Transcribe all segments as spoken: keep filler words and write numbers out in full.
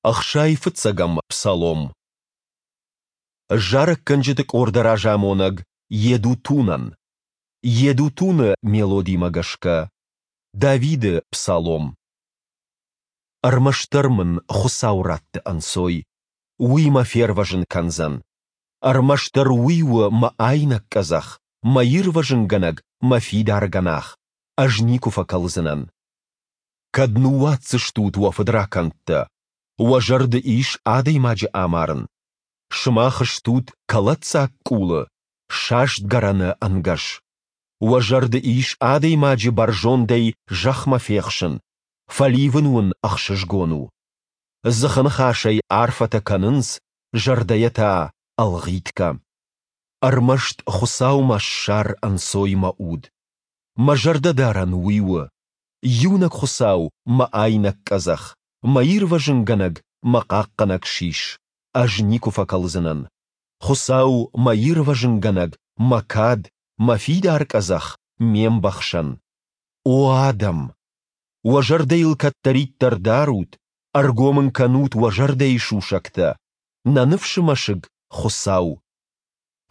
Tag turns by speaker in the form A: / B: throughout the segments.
A: Ӕхсай фыццӕгӕм псалом. Зарӕггӕнджыты къорды разамонӕг Йедутунӕн. Йедутуны мелодимӕ гӕсгӕ. Давиды псалом. Ӕрмӕстдӕр мын Хуыцау ратты ӕнцой, Уый мӕ фервӕзын кӕндзӕн. Ӕрмӕстдӕр Уый у мӕ айнӕг къӕдзӕх, мӕ ирвӕзынгӕнӕг, мӕ фидар гӕнах, ӕз никуы фӕкӕлдзынӕн. Кӕд ныууадздзыстут уӕ фыдракӕндтӕ? Уӕ зӕрды ис адӕймаджы амарын? Сымах стут кӕлӕддзаг къулы, саст гӕрӕны ӕнгӕс. Уӕ зӕрды ис адӕймаджы бӕрзондӕй зӕхмӕ фехсын, фӕливын уын ӕхсызгон у. Дзыхы ныхасӕй арфӕтӕ кӕнынц, зӕрдӕйӕ та ӕлгъитгӕ. Ӕрмӕст Хуыцаумӕ ссар ӕнцой мӕ уд. Мӕ зӕрдӕдарӕн Уый у. Иунӕг Хуыцау мӕ айнӕг къӕдзӕх, мӕ ирвӕзынгӕнӕг, мӕ хъахъхъӕнӕг сис, ӕз никуы фӕкӕлдзынӕн. Хуыцау, мӕ ирвӕзынгӕнӕг, мӕ кад, мӕ фидар къӕдзӕх, ме мбӕхсӕн. О адӕм! Уӕ зӕрдӕ йыл кӕддӕриддӕр дарут, ӕргом ын кӕнут уӕ зӕрдӕйы сусӕгтӕ. Нӕ ныфсы мӕсыг, Хуыцау.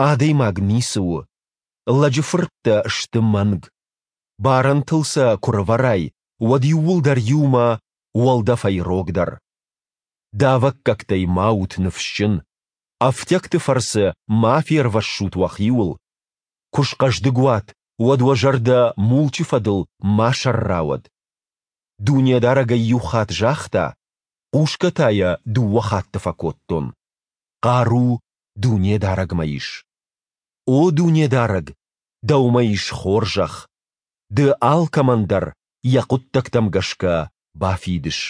A: Адӕймаг ницы у. Лӕджы фырттӕ сты мӕнг. Барӕнтыл сӕ куы рывӕрай, уӕд иууылдӕр иумӕ уӕлдӕфӕй рогдӕр. Давӕггӕгтӕй ма ут ныфсджын, ӕфтиӕгты фӕрцы ма фервӕссут уӕхиуыл. Куы схъӕздыг уат, уӕд уӕ зӕрдӕ мулчы фӕдыл ма сӕрра уӕд. Дунедарӕг ӕй иу хатт загъта, хъусгӕ та йӕ дыууӕ хатты фӕкодтон. Хъару Дунедарӕгмӕ ис. О Дунедарӕг, Дӕумӕ ис хорзӕх. Ды алкӕмӕн дӕр йӕ хъуыддӕгтӕм гӕсгӕ бафидыс.